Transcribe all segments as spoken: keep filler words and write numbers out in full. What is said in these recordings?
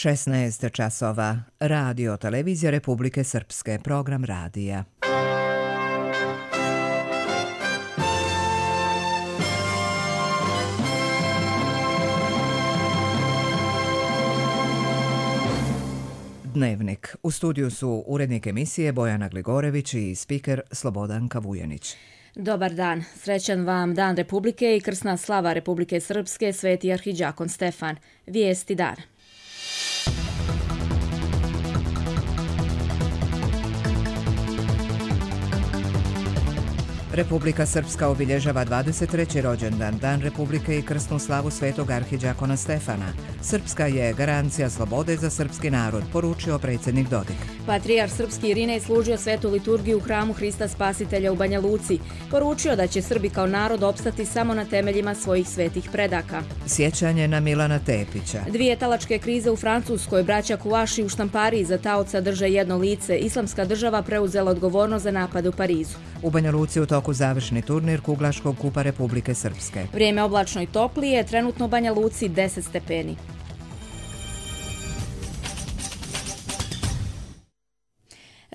šesnaest časova. Radio televizija Republike Srpske. Program radija. Dnevnik. U studiju su urednik emisije Bojana Gligorević i spiker Slobodanka Vujanić. Dobar dan. Srećan vam Dan Republike i krsna slava Republike Srpske, Sveti arhidžakon Stefan. Vijesti dana. Republika Srpska obilježava dvadeset treći rođendan, Dan Republike i krsnu slavu Svetog arhidžakona Stefana. Srpska je garancija slobode za srpski narod, poručio predsjednik Dodik. Patrijarh srpski Irinej služio svetu liturgiju u hramu Hrista Spasitelja u Banja Luci. Poručio da će Srbi kao narod opstati samo na temeljima svojih svetih predaka. Sjećanje na Milana Tepića. Dvije talačke krize u Francuskoj, braća Kuaši u štampariji za taoca drže jedno lice. Islamska država preuzela odgovornost za napad u Parizu. U Banja Luci u toku završni turnir Kuglaškog kupa Republike Srpske. Vrijeme oblačno i toplije, trenutno u Banja Luci deset stepeni.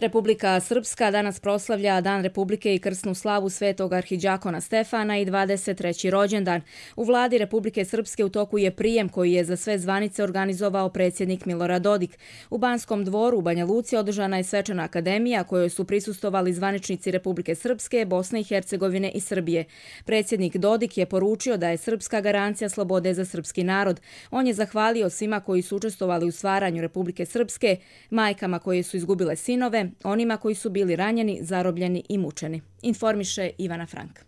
Republika Srpska danas proslavlja Dan Republike i krsnu slavu Svetog arhidžakona Stefana i dvadeset treći rođendan. U vladi Republike Srpske u toku je prijem koji je za sve zvanice organizovao predsjednik Milorad Dodik. U Banskom dvoru u Banja Luci održana je svečana akademija kojoj su prisustvovali zvaničnici Republike Srpske, Bosne i Hercegovine i Srbije. Predsjednik Dodik je poručio da je Srpska garancija slobode za srpski narod. On je zahvalio svima koji su učestvovali u stvaranju Republike Srpske, majkama koje su izgubile sinove, onima koji su bili ranjeni, zarobljeni i mučeni. Informiše Ivana Frank.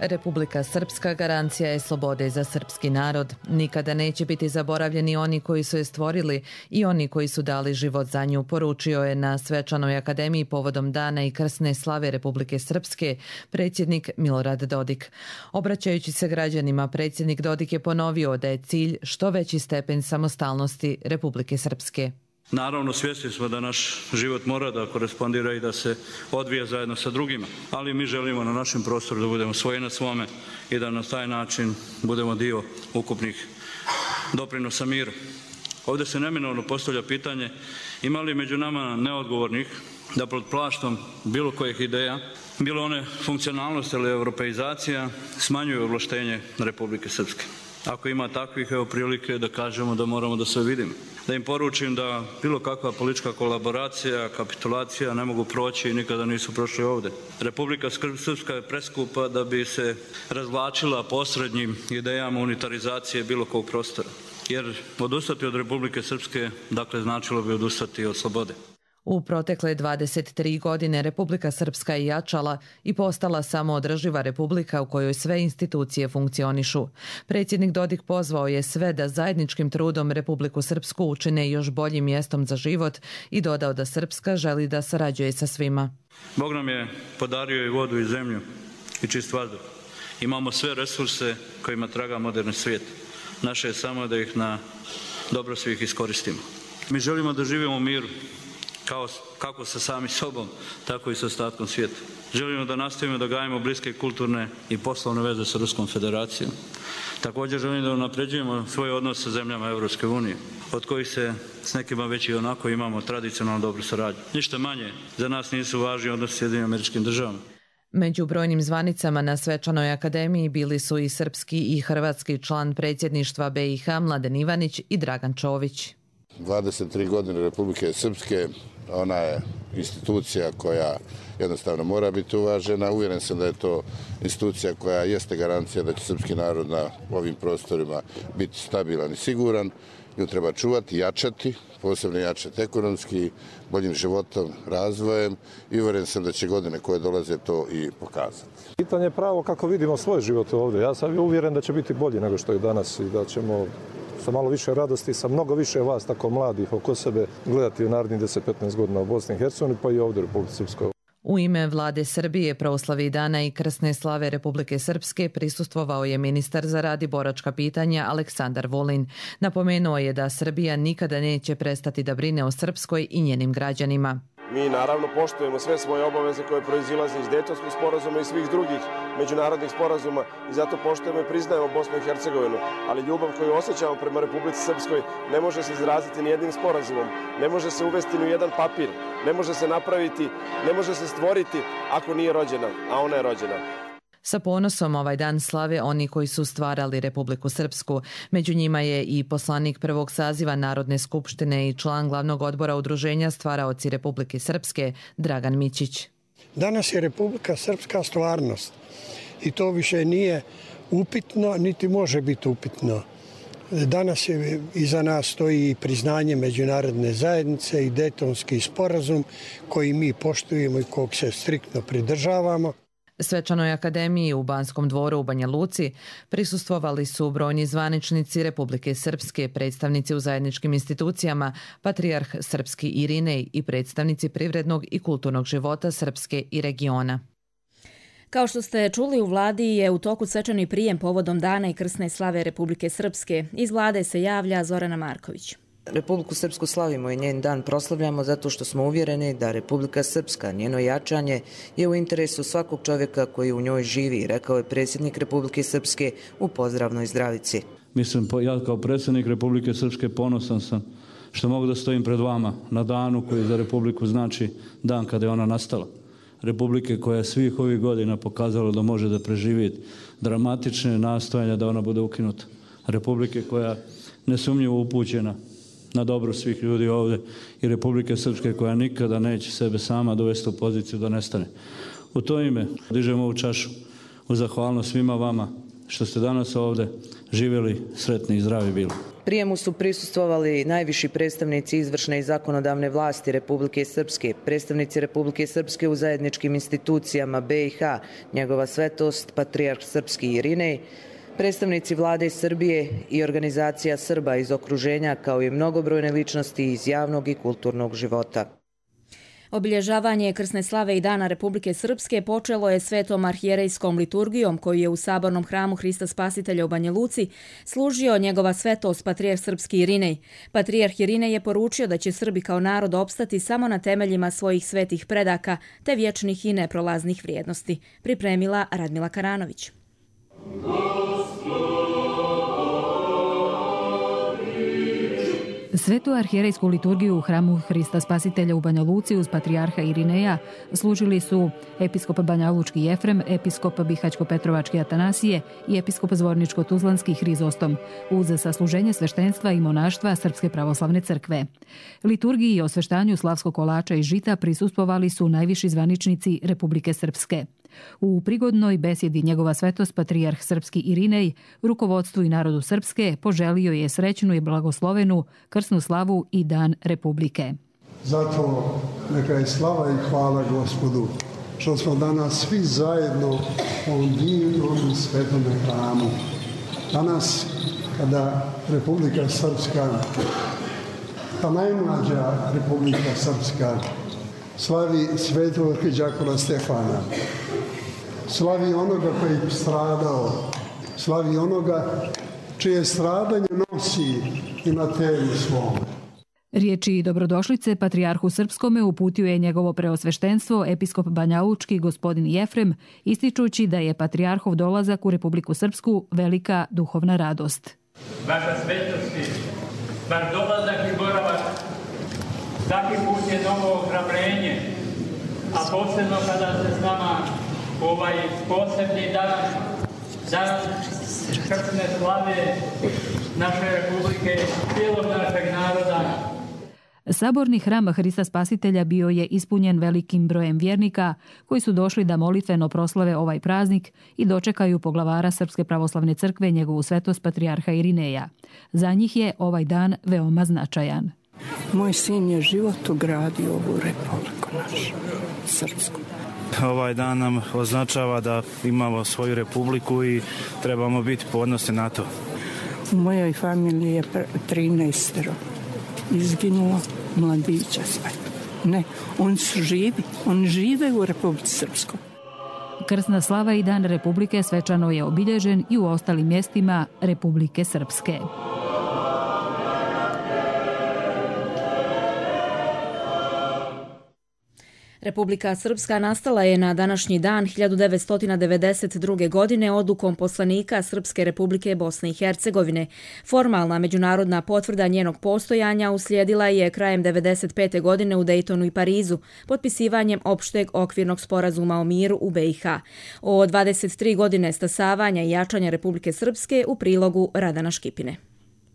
Republika Srpska garancija je slobode za srpski narod. Nikada neće biti zaboravljeni oni koji su je stvorili i oni koji su dali život za nju, poručio je na svečanoj akademiji povodom dana i krsne slave Republike Srpske predsjednik Milorad Dodik. Obraćajući se građanima, predsjednik Dodik je ponovio da je cilj što veći stepen samostalnosti Republike Srpske. Naravno, svjesni smo da naš život mora da korespondira i da se odvija zajedno sa drugima, ali mi želimo na našem prostoru da budemo svoji na svome i da na taj način budemo dio ukupnih doprinosa miru. Ovdje se neminovno postavlja pitanje ima li među nama neodgovornih da pod plaštom bilo kojih ideja, bilo one funkcionalnosti ili europeizacija, smanjuju ovlaštenje Republike Srpske. Ako ima takvih, evo prilike da kažemo da moramo da se vidimo. Da im poručim da bilo kakva politička kolaboracija, kapitulacija ne mogu proći i nikada nisu prošli ovdje. Republika Srpska je preskupa da bi se razvlačila posrednjim idejama unitarizacije bilo kog prostora. Jer odustati od Republike Srpske, dakle, značilo bi odustati od slobode. U protekle dvadeset tri godine Republika Srpska je jačala i postala samoodrživa republika u kojoj sve institucije funkcionišu. Predsjednik Dodik pozvao je sve da zajedničkim trudom Republiku Srpsku učine još boljim mjestom za život i dodao da Srpska želi da sarađuje sa svima. Bog nam je podario i vodu i zemlju i čist vazduh. Imamo sve resurse kojima traga moderni svijet. Naše je samo da ih na dobro svih iskoristimo. Mi želimo da živimo u miru, Kao, kako sa sami sobom, tako i sa ostatkom svijeta. Želimo da nastavimo da gajimo bliske kulturne i poslovne veze sa Ruskom federacijom. Također želimo da unapređujemo svoje odnose sa zemljama Europske unije, od kojih se s nekima već i onako imamo tradicionalno dobru saradnju. Ništa manje za nas nisu važni odnosi s Sjedinjenim Američkim Državama. Među brojnim zvanicama na svečanoj akademiji bili su i srpski i hrvatski član predsjedništva be i ha Mladen Ivanić i Dragan Čović. dvadeset tri godine Republike Srpske, ona je institucija koja jednostavno mora biti uvažena. Uvjeren sam da je to institucija koja jeste garancija da će srpski narod na ovim prostorima biti stabilan i siguran. Nju treba čuvati, jačati, posebno jačati ekonomski, boljim životom, razvojem i uvjeren sam da će godine koje dolaze to i pokazati. Pitanje je pravo kako vidimo svoj život ovdje. Ja sam uvjeren da će biti bolji nego što je danas i da ćemo sa malo više radosti, sa mnogo više vas tako mladih oko sebe gledati u narednih deset do petnaest godina u Bosni i Hercegovini pa i ovdje u Republici Srpskoj. U ime vlade Srbije, proslavi Dana i krsne slave Republike Srpske prisustvovao je ministar za rad i boračka pitanja Aleksandar Vulin. Napomenuo je da Srbija nikada neće prestati da brine o Srpskoj i njenim građanima. Mi naravno poštujemo sve svoje obaveze koje proizilaze iz Dejtonskog sporazuma i svih drugih međunarodnih sporazuma i zato poštujemo i priznajemo Bosnu i Hercegovinu. Ali ljubav koju osjećamo prema Republici Srpskoj ne može se izraziti ni jednim sporazumom, ne može se uvesti ni u jedan papir, ne može se napraviti, ne može se stvoriti ako nije rođena, a ona je rođena. Sa ponosom ovaj dan slave oni koji su stvarali Republiku Srpsku. Među njima je i poslanik prvog saziva Narodne skupštine i član glavnog odbora udruženja Stvaraoci Republike Srpske Dragan Mićić. Danas je Republika Srpska stvarnost i to više nije upitno, niti može biti upitno. Danas je iza nas stoji i priznanje međunarodne zajednice i Dejtonski sporazum koji mi poštujemo i kog se striktno pridržavamo. Svečanoj akademiji u Banskom dvoru u Banja Luci prisustvovali su brojni zvaničnici Republike Srpske, predstavnici u zajedničkim institucijama, patrijarh Srpski Irinej i predstavnici privrednog i kulturnog života Srpske i regiona. Kao što ste čuli, u vladi je u toku svečani prijem povodom Dana i krsne slave Republike Srpske. Iz vlade se javlja Zorana Marković. Republiku Srpsku slavimo i njen dan proslavljamo zato što smo uvjereni da Republika Srpska, njeno jačanje, je u interesu svakog čovjeka koji u njoj živi, rekao je predsjednik Republike Srpske u pozdravnoj zdravici. Mislim, ja kao predsjednik Republike Srpske ponosan sam što mogu da stojim pred vama na danu koji za Republiku znači dan kada je ona nastala. Republike koja je svih ovih godina pokazala da može da preživi dramatične nastojanja da ona bude ukinuta. Republike koja nesumnjivo upućena na dobro svih ljudi ovdje i Republike Srpske koja nikada neće sebe sama dovesti u poziciju da nestane. U to ime dižem ovu čašu u zahvalnost svima vama što ste danas ovdje živjeli, sretni i zdravi bili. Prijemu su prisustvovali najviši predstavnici izvršne i zakonodavne vlasti Republike Srpske, predstavnici Republike Srpske u zajedničkim institucijama be i ha, njegova svetost, patrijarh Srpski Irinej, predstavnici vlade Srbije i organizacija Srba iz okruženja, kao i mnogobrojne ličnosti iz javnog i kulturnog života. Obilježavanje krsne slave i Dana Republike Srpske počelo je svetom arhijerejskom liturgijom koju je u sabornom hramu Hrista Spasitelja u Banja Luci služio njegova svetost patrijarh Srpski Irinej. Patrijarh Irinej je poručio da će Srbi kao narod opstati samo na temeljima svojih svetih predaka te vječnih i neprolaznih vrijednosti. Pripremila Radmila Karanović. Svetu arhijerejsku liturgiju u hramu Hrista Spasitelja u Banja Luci uz patrijarha Irineja služili su episkop Banjalučki Jefrem, episkop Bihaćko-Petrovački Atanasije i episkop Zvorničko-Tuzlanski Hrizostom uz sasluženje sveštenstva i monaštva Srpske pravoslavne crkve. Liturgiji i osveštanju slavskog kolača i žita prisustvovali su najviši zvaničnici Republike Srpske. U prigodnoj besjedi njegova svetost patrijarh Srpski Irinej rukovodstvu i narodu Srpske poželio je srećnu i blagoslovenu krsnu slavu i Dan Republike. Zato neka je slava i hvala Gospodu što smo danas svi zajedno u ovom divnom i svetom hramu. Danas kada Republika Srpska, ta najmlađa Republika Srpska, slavi svetog arhidijakona Stefana, slavi onoga koji je stradao, slavi onoga čije stradanje nosi i na telu svom. Riječi dobrodošlice patrijarhu Srpskome uputio je njegovo preosveštenstvo episkop Banjalučki gospodin Jefrem, ističući da je patrijarhov dolazak u Republiku Srpsku velika duhovna radost. Vaša svetosti, vaš dolazak i boravak svaki put je novo ohrabrenje, a posebno kada se s nama ovaj posebni dan, dan krsne slave naše Republike, cijelog našeg naroda. Saborni hram Hrista Spasitelja bio je ispunjen velikim brojem vjernika koji su došli da molitveno proslave ovaj praznik i dočekaju poglavara Srpske pravoslavne crkve njegovu svetost patrijarha Irineja. Za njih je ovaj dan veoma značajan. Moj sin je život ugradio ovu republiku našu, srpsku. Ovaj dan nam označava da imamo svoju republiku i trebamo biti ponosni na to. U mojoj familiji je trinaestero izginulo, mladića sve. Ne, oni su živi. Oni žive u Republici Srpskoj. Krsna slava i Dan Republike svečano je obilježen i u ostalim mjestima Republike Srpske. Republika Srpska nastala je na današnji dan hiljadu devetsto devedeset druge. godine odlukom poslanika Srpske Republike Bosne i Hercegovine. Formalna međunarodna potvrda njenog postojanja uslijedila je krajem devedeset pete. godine u Dejtonu i Parizu, potpisivanjem opšteg okvirnog sporazuma o miru u be i ha. O dvadeset tri godine stasavanja i jačanja Republike Srpske u prilogu Radana Škipine.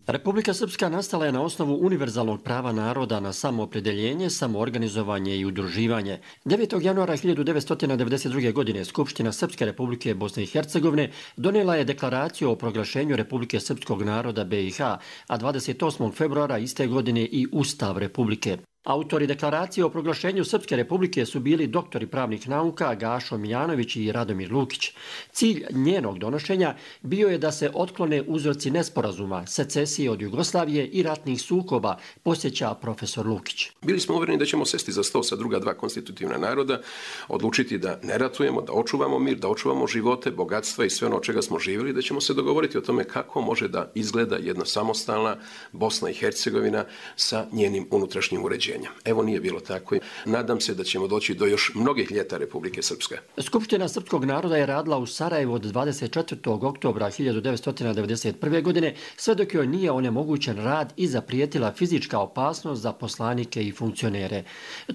Republika Srpska nastala je na osnovu univerzalnog prava naroda na samoopredeljenje, samoorganizovanje i udruživanje. devetog januara hiljadu devetsto devedeset druge. godine Skupština Srpske Republike Bosne i Hercegovine donijela je deklaraciju o proglašenju Republike Srpskog naroda be i ha, a dvadeset osmog februara iste godine i Ustav Republike. Autori deklaracije o proglašenju Srpske Republike su bili doktori pravnih nauka Gašo Mijanović i Radomir Lukić. Cilj njenog donošenja bio je da se otklone uzroci nesporazuma, secesije od Jugoslavije i ratnih sukoba, posjeća profesor Lukić. Bili smo uvjereni da ćemo sesti za sto sa druga dva konstitutivna naroda, odlučiti da ne ratujemo, da očuvamo mir, da očuvamo živote, bogatstva i sve ono od čega smo živjeli, da ćemo se dogovoriti o tome kako može da izgleda jedna samostalna Bosna i Hercegovina sa njenim unutrašnjim uređenjem. Evo, nije bilo tako. Nadam se da ćemo doći do još mnogih ljeta Republike Srpske. Skupština srpskog naroda je radila u Sarajevu od dvadeset četvrtog oktobra hiljadu devetsto devedeset prve. godine, sve dok joj nije onemogućen rad i zaprijetila fizička opasnost za poslanike i funkcionere.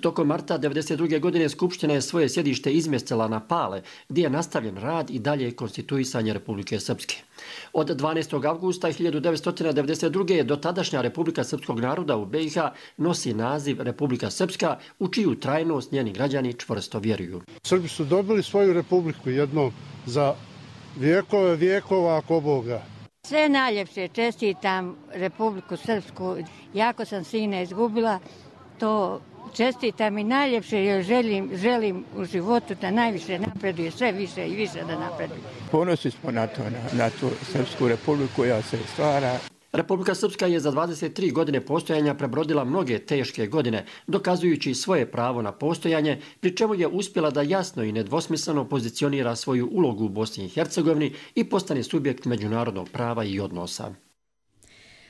Tokom marta devedeset druge. godine Skupština je svoje sjedište izmjestila na Pale, gdje je nastavljen rad i dalje konstituisanje Republike Srpske. Od dvanaestog avgusta hiljadu devetsto devedeset druge. do tadašnja Republika Srpskog naroda u be i ha nosi naziv Republika Srpska, u čiju trajnost njeni građani čvrsto vjeruju. Srbi su dobili svoju republiku jedno za vijekove vijekova ako Boga. Sve najljepše, čestitam Republiku Srpsku. Jako sam sina izgubila, to čestitam i najljepše joj želim, želim u životu da najviše napreduje, sve više i više da napreduje. Ponosni smo na to, na, na tu Srpsku republiku koja se stvara. Republika Srpska je za dvadeset tri godine postojanja prebrodila mnoge teške godine, dokazujući svoje pravo na postojanje, pri čemu je uspjela da jasno i nedvosmisleno pozicionira svoju ulogu u Bosni i Hercegovini i postane subjekt međunarodnog prava i odnosa.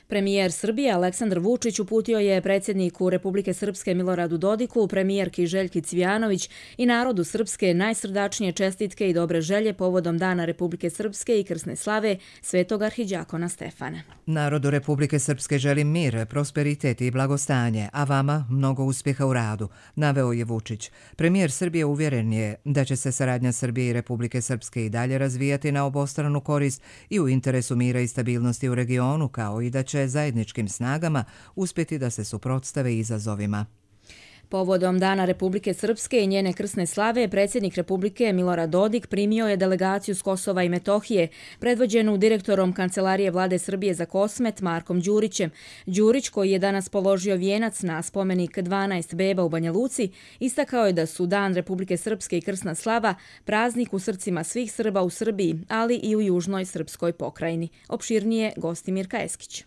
Premijer Srbije Aleksandar Vučić uputio je predsjedniku Republike Srpske Miloradu Dodiku, premijerki Željki Cvijanović i narodu Srpske najsrdačnije čestitke i dobre želje povodom Dana Republike Srpske i krsne slave Svetog arhidjakona Stefana. Narodu Republike Srpske želim mir, prosperitet i blagostanje, a vama mnogo uspjeha u radu, naveo je Vučić. Premijer Srbije uvjeren je da će se saradnja Srbije i Republike Srpske i dalje razvijati na obostranu korist i u interesu mira i stabilnosti u regionu, kao i da će zajedničkim snagama uspjeti da se suprotstave izazovima. Povodom Dana Republike Srpske i njene krsne slave, predsjednik Republike Milorad Dodik primio je delegaciju s Kosova i Metohije, predvođenu direktorom Kancelarije vlade Srbije za Kosmet Markom Đurićem. Đurić, koji je danas položio vijenac na spomenik dvanaest beba u Banja Luci, istakao je da su Dan Republike Srpske i krsna slava praznik u srcima svih Srba u Srbiji, ali i u južnoj srpskoj pokrajini. Opširnije Gostimir Kaeskić.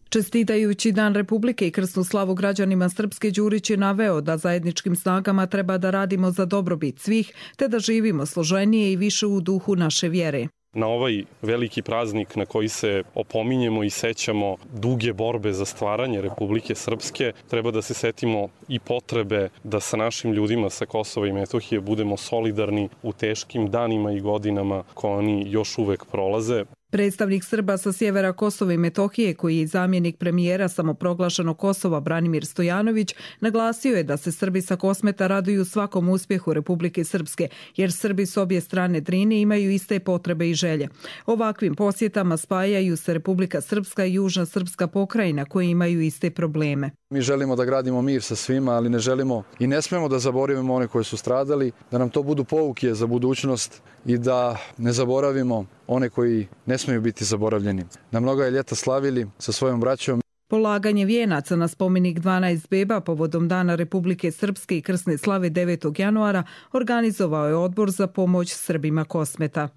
Čestitajući Dan Republike i krsnu slavu građanima Srpske, Đurić je naveo da zajedničkim snagama treba da radimo za dobrobit svih, te da živimo složenije i više u duhu naše vjere. Na ovaj veliki praznik na koji se opominjemo i sećamo duge borbe za stvaranje Republike Srpske, treba da se setimo i potrebe da sa našim ljudima sa Kosova i Metohije budemo solidarni u teškim danima i godinama koje oni još uvek prolaze. Predstavnik Srba sa sjevera Kosova i Metohije, koji je zamjenik premijera samoproglašenog Kosova Branimir Stojanović, naglasio je da se Srbi sa Kosmeta raduju svakom uspjehu Republike Srpske, jer Srbi s obje strane Drine imaju iste potrebe i želje. Ovakvim posjetama spajaju se Republika Srpska i Južna Srpska pokrajina, koji imaju iste probleme. Mi želimo da gradimo mir sa svima, ali ne želimo i ne smemo da zaboravimo one koji su stradali, da nam to budu pouke za budućnost i da ne zaboravimo one koji ne smiju biti zaboravljeni. Na mnoga je ljeta slavili sa svojom braćom. Polaganje vijenaca na spomenik dvanaest beba povodom Dana Republike Srpske i krsne slave devetog januara organizovao je Odbor za pomoć Srbima Kosmeta.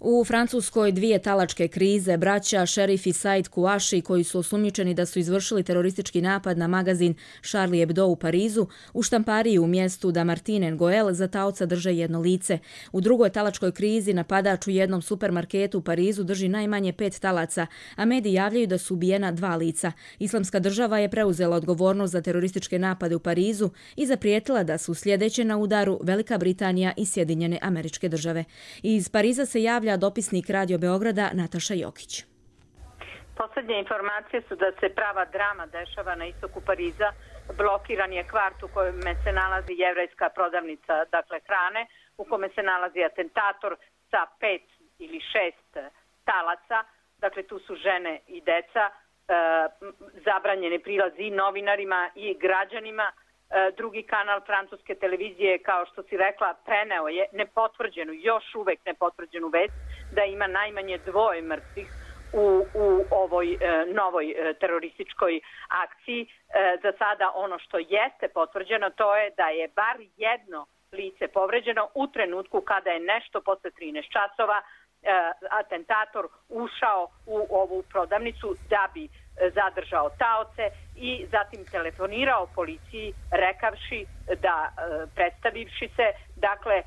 U Francuskoj dvije talačke krize, braća Šerif i Said Kouachi, koji su osumnjičeni da su izvršili teroristički napad na magazin Charlie Hebdo u Parizu, u štampariji u mjestu Dammartin-en-Goël za taoca drže jedno lice. U drugoj talačkoj krizi napadač u jednom supermarketu u Parizu drži najmanje pet talaca, a mediji javljaju da su ubijena dva lica. Islamska država je preuzela odgovornost za terorističke napade u Parizu i zaprijetila da su sljedeće na udaru Velika Britanija i Sjedinjene Američke Države. Iz Pariza se javlja dopisnik Radio Beograda Nataša Jokić. Posljednje informacije su da se prava drama dešava na istoku Pariza. Blokiran je kvart u kojem se nalazi jevrejska prodavnica, dakle hrane, u kome se nalazi atentator sa pet ili šest talaca. Dakle, tu su žene i deca, e, zabranjene prilazi i novinarima i građanima. E, drugi kanal francuske televizije, kao što si rekla, preneo je nepotvrđenu, još uvek nepotvrđenu vest da ima najmanje dvoje mrtvih u, u ovoj e, novoj e, terorističkoj akciji. E, za sada ono što jeste potvrđeno to je da je bar jedno lice povređeno u trenutku kada je nešto posle trinaest časova e, atentator ušao u ovu prodavnicu da bi zadržao taoce i zatim telefonirao policiji rekavši da, e, predstavivši se, dakle, e,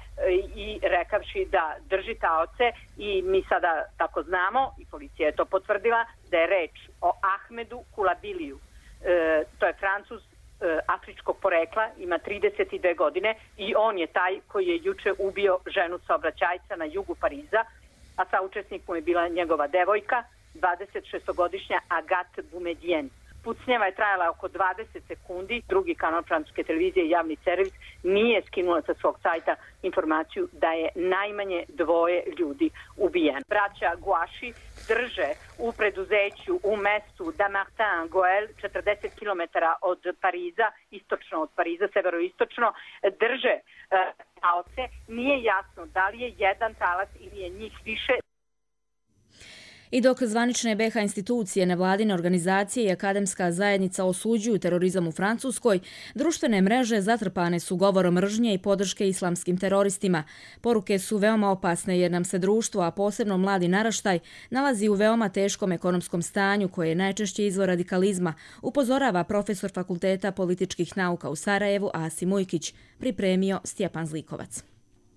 i rekavši da drži taoce i mi sada tako znamo, i policija je to potvrdila, da je reč o Ahmedu Kulabiliju. E, to je Francuz e, afričkog porekla, ima trideset dve godine i on je taj koji je juče ubio ženu saobraćajca na jugu Pariza, a saučesnik mu je bila njegova devojka, dvadesetšestogodišnja Agathe Boumedienne. Pucnjava je trajala oko dvadeset sekundi. Drugi kanal francuske televizije, javni servis, nije skinula sa svog sajta informaciju da je najmanje dvoje ljudi ubijeno. Braća Kouachi drže u preduzeću u mestu Dammartin-en-Goël, četrdeset kilometara od Pariza, istočno od Pariza, severoistočno, drže taoce. Nije jasno da li je jedan talac ili je njih više. I dok zvanične be ha institucije, nevladine organizacije i akademska zajednica osuđuju terorizam u Francuskoj, društvene mreže zatrpane su govorom mržnje i podrške islamskim teroristima. Poruke su veoma opasne jer nam se društvo, a posebno mladi naraštaj, nalazi u veoma teškom ekonomskom stanju koje je najčešće izvor radikalizma, upozorava profesor Fakulteta političkih nauka u Sarajevu Asim Ujkić, pripremio Stjepan Zlikovac.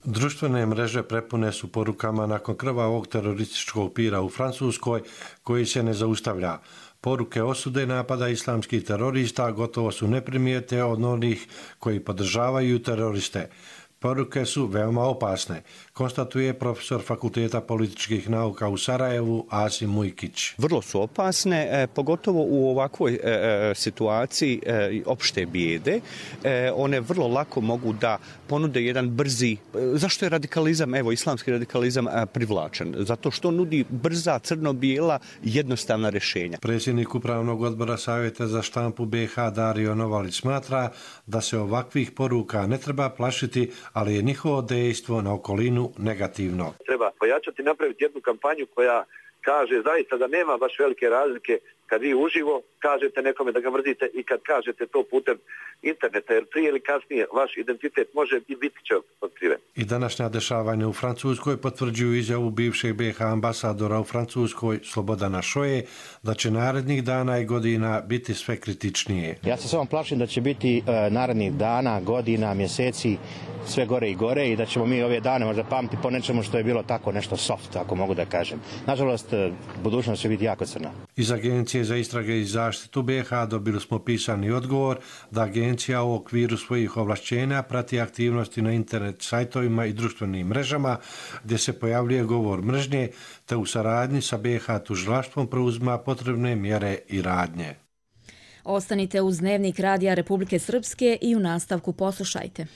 Društvene mreže prepune su porukama nakon krvavog terorističkog pira u Francuskoj koji se ne zaustavlja. Poruke osude napada islamskih terorista gotovo su neprimijete od onih koji podržavaju teroriste. Poruke su veoma opasne, konstatuje profesor Fakulteta političkih nauka u Sarajevu Asim Ujkić. Vrlo su opasne, e, pogotovo u ovakvoj e, situaciji e, opšte bijede. E, one vrlo lako mogu da ponude jedan brzi... E, zašto je radikalizam, evo islamski radikalizam, e, privlačen? Zato što nudi brza, crno-bijela, jednostavna rješenja. Predsjednik Upravnog odbora Savjeta za štampu be ha Dario Novalić smatra da se ovakvih poruka ne treba plašiti, ali je njihovo dejstvo na okolinu negativno. Treba pojačati, napraviti jednu kampanju koja kaže zaista da nema baš velike razlike kad vi uživo kažete nekome da ga mrzite i kad kažete to putem interneta, jer prije ili kasnije vaš identitet može i biti će otkriven. I današnja dešavanja u Francuskoj potvrđuju izjavu bivšeg be ha ambasadora u Francuskoj Slobodana Šoje da će narednih dana i godina biti sve kritičnije. Ja se samo plašim da će biti uh, narednih dana, godina, mjeseci sve gore i gore i da ćemo mi ove dane možda pamti po nečemu što je bilo tako nešto soft, ako mogu da kažem. Nažalost, budućnost će biti jako crna. Iz Agencije za istrage i zaštitu be ha dobili smo pisani odgovor da agencija u okviru svojih ovlašćenja prati aktivnosti na internet sajtovima i društvenim mrežama gdje se pojavljuje govor mržnje, te u saradnji sa be ha tužilaštvom preuzima potrebne mjere i radnje. Ostanite uz Dnevnik Radija Republike Srpske i u nastavku poslušajte.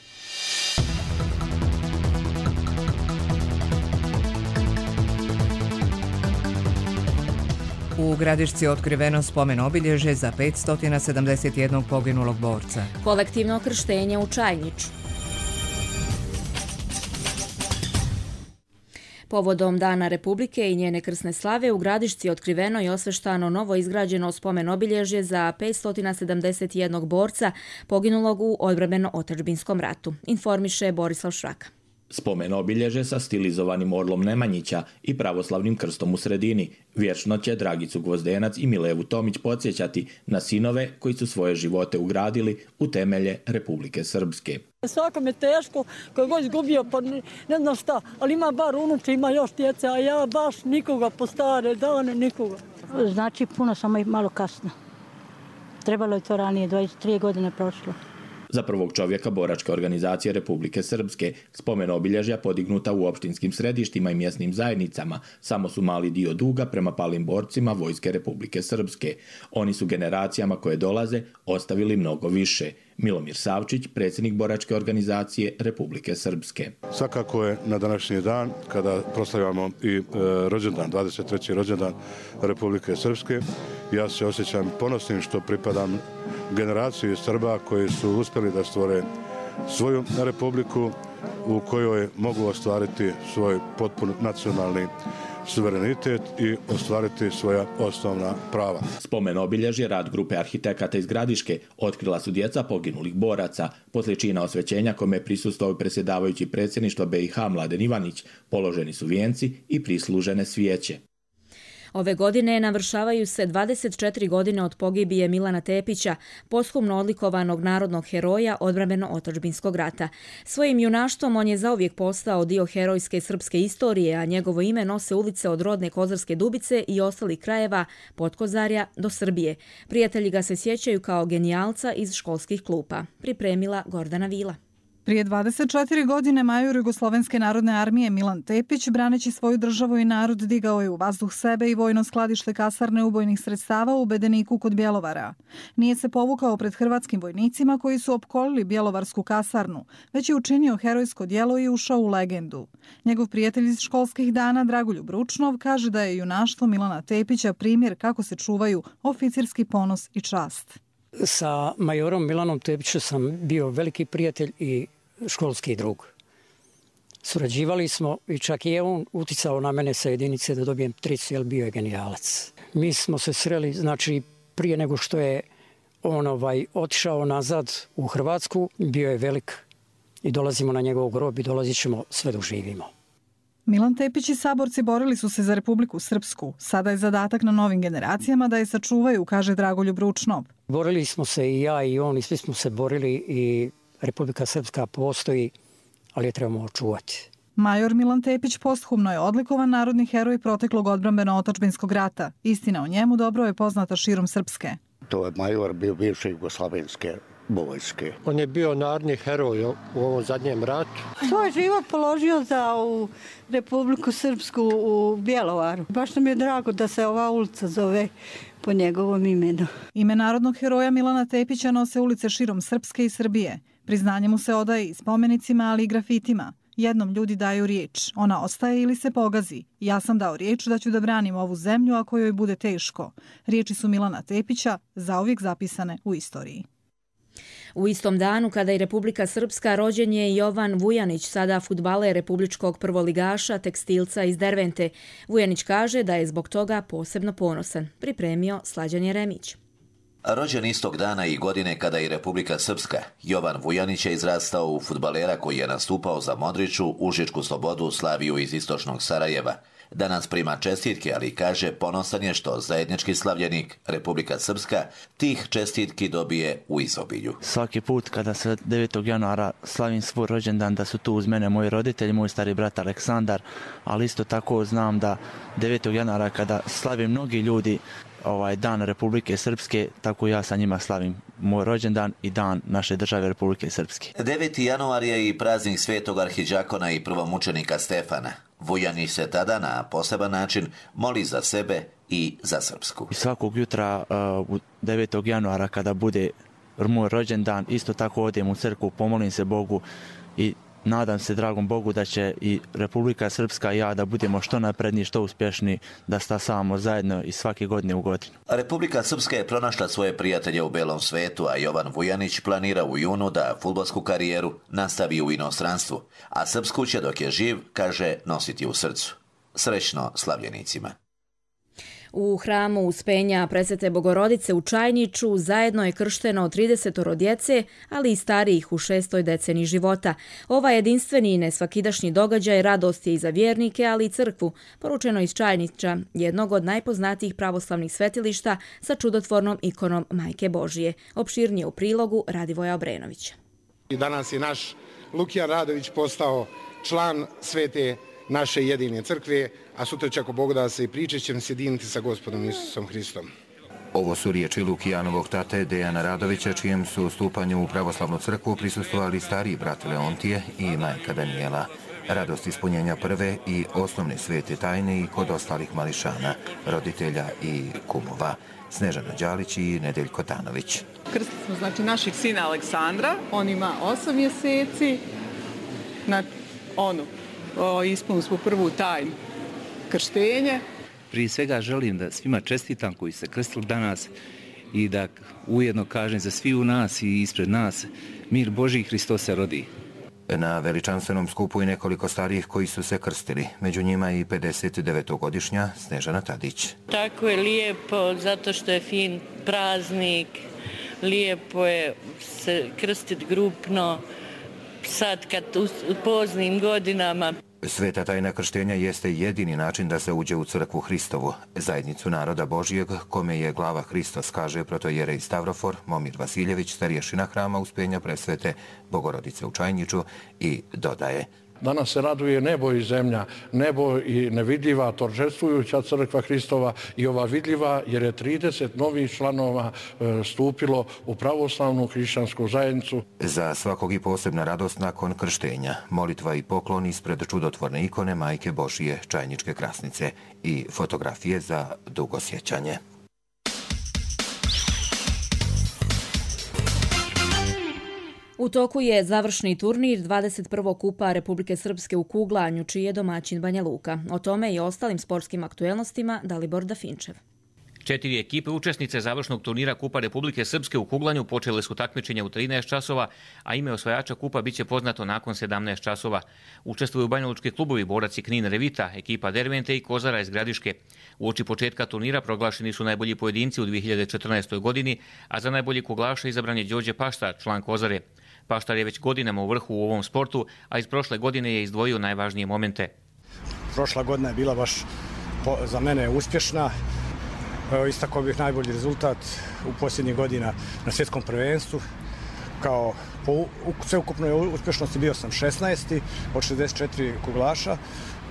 U Gradišci je otkriveno spomen obilježje za petsto sedamdeset jedan poginulog borca. Kolektivno krštenje u Čajniču. Povodom Dana Republike i njene krsne slave u Gradišci je otkriveno i osveštano novo izgrađeno spomen obilježje za petsto sedamdeset jedan borca poginulog u odbrambeno-otadžbinskom ratu, informiše Borislav Šraka. Spomen obilježe sa stilizovanim orlom Nemanjića i pravoslavnim krstom u sredini. Vječno će Dragicu Gvozdenac i Milevu Tomić podsjećati na sinove koji su svoje živote ugradili u temelje Republike Srpske. Svakom je teško, koji god izgubio, pa ne, ne znam šta, ali ima bar unuče, ima još djece, a ja baš nikoga po stare dane, nikoga. Znači puno, samo i malo kasno. Trebalo je to ranije, dvadeset tri godine prošlo. Za prvog čovjeka boračke organizacije Republike Srpske spomen obilježja podignuta u opštinskim središtima i mjesnim zajednicama samo su mali dio duga prema palim borcima Vojske Republike Srpske. Oni su generacijama koje dolaze ostavili mnogo više. Milomir Savčić, predsjednik boračke organizacije Republike Srpske. Svakako je na današnji dan, kada proslavljamo i e, rođendan, dvadeset treći rođendan Republike Srpske, ja se osjećam ponosnim što pripadam generaciji Srba koji su uspjeli da stvore svoju republiku u kojoj mogu ostvariti svoj potpun nacionalni suverenitet i ostvariti svoja osnovna prava. Spomen obilježje rad grupe arhitekata iz Gradiške otkrila su djeca poginulih boraca. Poslije čina osvećenja kome je prisustvovao predsjedavajući predsjedništva B i H Mladen Ivanić, položeni su vijenci i prislužene svijeće. Ove godine navršavaju se dvadeset četiri godine od pogibije Milana Tepića, posthumno odlikovanog narodnog heroja odbrambeno-otadžbinskog rata. Svojim junaštvom on je zauvijek postao dio herojske srpske istorije, a njegovo ime nose ulice od rodne Kozarske Dubice i ostalih krajeva Podkozarja do Srbije. Prijatelji ga se sjećaju kao genijalca iz školskih klupa. Pripremila Gordana Vila. Prije dvadeset četiri godine major Jugoslovenske narodne armije Milan Tepić, braneći svoju državu i narod, digao je u vazduh sebe i vojno skladište kasarne ubojnih sredstava u Bedeniku kod Bjelovara. Nije se povukao pred hrvatskim vojnicima koji su opkolili Bjelovarsku kasarnu, već je učinio herojsko djelo i ušao u legendu. Njegov prijatelj iz školskih dana Dragoljub Ručnov kaže da je junaštvo Milana Tepića primjer kako se čuvaju oficirski ponos i čast. Sa majorom Milanom Tepićem sam bio veliki prijatelj i školski drug. Surađivali smo i čak je on uticao na mene sa jedinice da dobijem tricu, jer bio je genijalac. Mi smo se sreli, znači, prije nego što je on ovaj, otišao nazad u Hrvatsku, bio je velik i dolazimo na njegov grob i dolazit ćemo sve dok živimo. Milan Tepić i saborci borili su se za Republiku Srpsku. Sada je zadatak na novim generacijama da je sačuvaju, kaže Dragoljub Ručnov. Borili smo se i ja i on i svi smo se borili i Republika Srpska postoji, ali je trebamo očuvati. Major Milan Tepić posthumno je odlikovan narodni heroj proteklog odbrambeno-otadžbinskog rata. Istina o njemu dobro je poznata širom Srpske. To je major bio bivše Jugoslovenske vojske. On je bio narodni heroj u ovom zadnjem ratu. Svoj život položio za u Republiku Srpsku u Bjelovaru. Baš nam je drago da se ova ulica zove po njegovom imenu. Ime narodnog heroja Milana Tepića nose ulice širom Srpske i Srbije. Priznanje mu se odaje i spomenicima, ali i grafitima. Jednom ljudi daju riječ, ona ostaje ili se pogazi. Ja sam dao riječ da ću da branim ovu zemlju ako joj bude teško. Riječi su Milana Tepića zauvijek zapisane u istoriji. U istom danu, kada je Republika Srpska, rođen je Jovan Vujanić, sada fudbaler republičkog prvoligaša, tekstilca iz Dervente. Vujanić kaže da je zbog toga posebno ponosan. Pripremio Slađan Jeremić. Rođen istog dana i godine kada je Republika Srpska, Jovan Vujanić je izrastao u fudbalera koji je nastupao za Modriću, Užičku Slobodu, Slaviju iz istočnog Sarajeva. Danas prima čestitke, ali kaže ponosan je što zajednički slavljenik Republika Srpska tih čestitki dobije u izobilju. Svaki put kada se devetog januara slavim svoj rođendan, da su tu uz mene moji roditelji, moj stari brat Aleksandar, ali isto tako znam da devetog januara kada slavim mnogi ljudi ovaj dan Republike Srpske, tako ja sa njima slavim moj rođendan i dan naše države Republike Srpske. deveti januar je i praznik svetog arhidžakona i prvomučenika Stefana. Vujanić se tada na poseban način moli za sebe i za Srpsku. I svakog jutra uh, devetog januara kada bude moj rođendan, isto tako odem u crkvu, pomolim se Bogu i nadam se dragom Bogu da će i Republika Srpska i ja da budemo što napredniji, što uspješni, da stasavamo zajedno i svake godine u godinu. Republika Srpska je pronašla svoje prijatelje u belom svetu, a Jovan Vujanić planira u junu da fudbalsku karijeru nastavi u inostranstvu, a srpsku će dok je živ, kaže, nositi u srcu. Srećno slavljenicima. U hramu Uspenja Presvete Bogorodice u Čajniču zajedno je kršteno tridesetoro djece, ali i starijih u šestoj deceniji života. Ovaj jedinstveni i nesvakidašnji događaj radost je i za vjernike, ali i crkvu, poručeno iz Čajniča, jednog od najpoznatijih pravoslavnih svetilišta sa čudotvornom ikonom Majke Božije. Opširnije u prilogu Radivoja Obrenovića. Danas je naš Lukijan Radović postao član svete naše jedine crkve, a sutra će, ako Bog da, se i priče ćemo sjediniti sa Gospodom Isusom Hristom. Ovo su riječi Lukijanovog tate Dejana Radovića, čijem su stupanju u pravoslavnu crkvu prisustvovali stariji brat Leontije i majka Danijela. Radost ispunjenja prve i osnovne svete tajne i kod ostalih mališana, roditelja i kumova. Snežana Đalić i Nedeljko Tanović. Krstili smo znači našeg sina Aleksandra, on ima osam mjeseci, na onu, ispunili smo prvu tajnu krštenje. Prije svega želim da svima čestitam koji se krstili danas i da ujedno kažem za svi u nas i ispred nas, mir Božji, Hristos se rodi. Na veličanstvenom skupu i nekoliko starijih koji su se krstili, među njima i pedesetdevetogodišnja Snežana Tadić. Tako je lijepo, zato što je fin praznik, lijepo je se krstiti grupno, sad kad u poznim godinama. Sveta tajna krštenja jeste jedini način da se uđe u crkvu Hristovu, zajednicu naroda Božijeg, kome je glava Hristos, kaže protojerej Stavrofor Momir Vasiljević, starješina hrama Uspenja Presvete Bogorodice u Čajniču, i dodaje: Danas se raduje nebo i zemlja, nebo i nevidljiva, торжествуjuća crkva Hristova i ova vidljiva, jer je trideset novih članova stupilo u pravoslavnu hrišćansku zajednicu. Za svakog i posebna radost nakon krštenja, molitva i poklon ispred čudotvorne ikone Majke Božije Čajničke Krasnice i fotografije za dugo sjećanje. U toku je završni turnir dvadeset prvog kupa Republike Srpske u kuglanju, čiji je domaćin Banja Luka. O tome i ostalim sportskim aktuelnostima Dalibor Dafinčev. Četiri ekipe učesnice završnog turnira Kupa Republike Srpske u kuglanju počele su takmičenje u trinaest časova, a ime osvajača kupa biće poznato nakon sedamnaest časova. Učestvuju banjalučki klubovi Borac i Knin Revita, ekipa Dervente i Kozara iz Gradiške. Uoči početka turnira proglašeni su najbolji pojedinci u dvije hiljade četrnaestoj. godini, a za najbolji kuglaša izabran je Đorđe Paštar, član Kozare. Paštar je već godinama u vrhu u ovom sportu, a iz prošle godine je izdvojio najvažnije momente. Prošla godina je bila baš za mene uspješna. Istakao bih najbolji rezultat u posljednjih godina na svjetskom prvenstvu. Kao po sveukupnoj uspješnosti bio sam šesnaesti od šezdeset četiri kuglaša.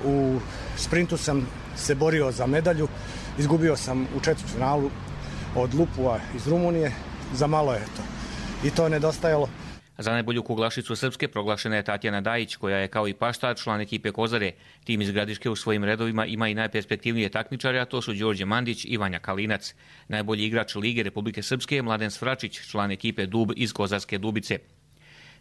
U sprintu sam se borio za medalju. Izgubio sam u četvrtfinalu od Lupua iz Rumunije. Za malo je to. I to nedostajalo. Za najbolju kuglašicu Srpske proglašena je Tatjana Dajić, koja je kao i Paštar član ekipe Kozare. Tim iz Gradiške u svojim redovima ima i najperspektivnije takmičare, a to su Đorđe Mandić i Vanja Kalinac. Najbolji igrač Lige Republike Srpske je Mladen Svračić, član ekipe Dub iz Kozarske Dubice.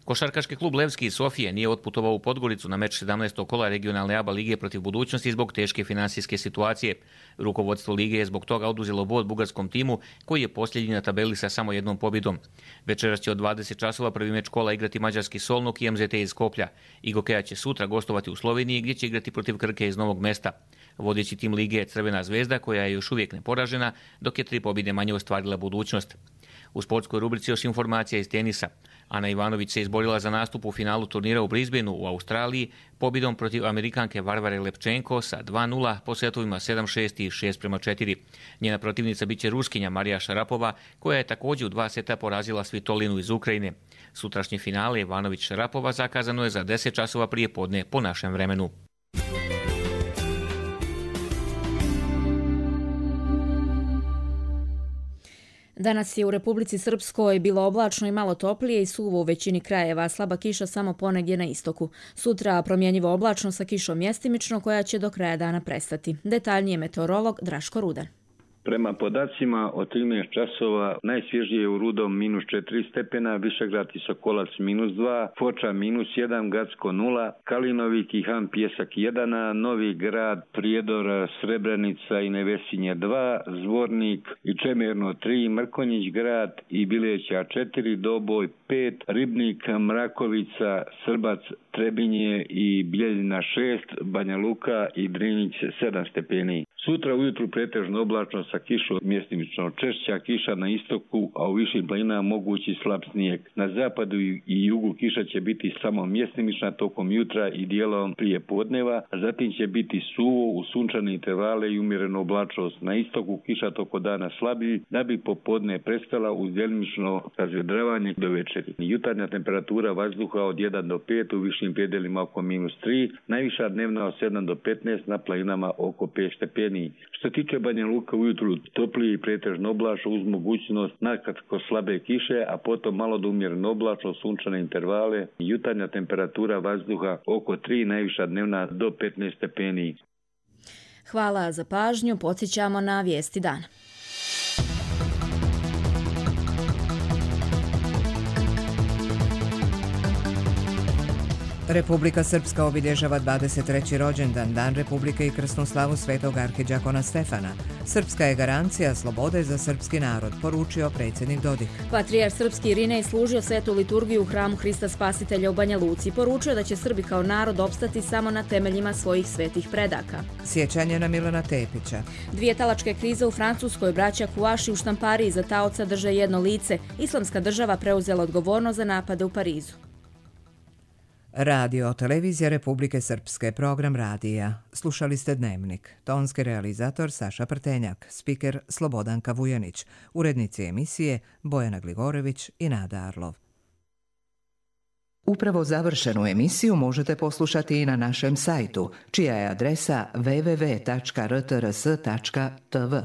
Košarkaški klub Levski iz Sofije nije otputovao u Podgoricu na meč sedamnaestog kola regionalne A B A lige protiv Budućnosti zbog teške finansijske situacije. Rukovodstvo lige je zbog toga oduzelo bod bugarskom timu, koji je posljednji na tabeli sa samo jednom pobjedom. Večeras će od dvadeset časova prvi meč kola igrati mađarski Solnok i M Z T iz Skoplja. Igokeja će sutra gostovati u Sloveniji, gdje će igrati protiv Krke iz Novog Mesta. Vodeći tim lige je Crvena zvezda, koja je još uvijek neporažena, dok je tri pobjede manje ostvarila Budućnost. U sportskoj rubrici još informacija iz tenisa. Ana Ivanović se izborila za nastup u finalu turnira u Brisbaneu u Australiji pobjedom protiv Amerikanke Varvare Lepčenko sa dva nula po setovima sedam šest i šest prema četiri. Njena protivnica biće Ruskinja Marija Šarapova, koja je također u dva seta porazila Svitolinu iz Ukrajine. Sutrašnje finale Ivanović-Šarapova zakazano je za deset časova prije podne po našem vremenu. Danas je u Republici Srpskoj bilo oblačno i malo toplije i suvo u većini krajeva, slaba kiša samo ponegdje na istoku. Sutra promjenjivo oblačno sa kišom mjestimično, koja će do kraja dana prestati. Detaljnije meteorolog Draško Rudan. Prema podacima od trinaest časova najsvježije je u Rudom minus četiri stepena, Višegrad i Sokolac minus dva, Foča minus jedan, Gacko nula, Kalinovik i Han Pjesak jedan, Novi Grad, Prijedor, Srebrenica i Nevesinje dva, Zvornik i Čemerno tri, Mrkonjić Grad i Bileća četiri, Doboj pet, Ribnik, Mrakovica, Srbac, Trebinje i Bljeljina šest, Banja Luka i Drinić sedam stepeni. Sutra ujutru pretežno oblačno sa kišom, mjestimično češća kiša na istoku, a u višim planinama mogući slab snijeg. Na zapadu i jugu kiša će biti samo mjestimična tokom jutra i dijelom prije podneva, a zatim će biti suvo u sunčane intervale i umjereno oblačnost. Na istoku kiša toko dana slabiji, da bi popodne prestala uz djelimično razvedravanje do večeri. Jutarnja temperatura vazduha od jedan do pet, u višim predjelima oko minus tri, najviša dnevna od sedam do petnaest, na planinama oko pet stepeni. Što se tiče Banja Luka, ujutru toplije i pretežno oblačno uz mogućnost nakratko slabe kiše, a potom malo do umjereno oblačno, sunčane intervale. Jutarnja temperatura vazduha oko tri, najviša dnevna do petnaest stepeni. Hvala za pažnju, podsjećamo na vijesti dana. Republika Srpska obilježava dvadeset treći rođendan, Dan Republike i krsnu slavu svetog arhidžakona Stefana. Srpska je garancija slobode za srpski narod, poručio predsjednik Dodik. Patrijarh srpski Irinej služio svetu liturgiju u hramu Hrista Spasitelja u Banja Luci. Poručio da će Srbi kao narod opstati samo na temeljima svojih svetih predaka. Sjećanje na Milana Tepića. Dvije talačke krize u Francuskoj, braća Kuaši u štampariji za taoca drže jedno lice. Islamska država preuzela odgovornost za napade u Parizu. Radio televizija Republike Srpske, program radija. Slušali ste Dnevnik. Tonski realizator Saša Prtenjak, spiker Slobodanka Vujanić, urednici emisije Bojana Gligorević i Nada Arlov. Upravo završenu emisiju možete poslušati i na našem sajtu, čija je adresa w w w tačka r t r s tačka t v.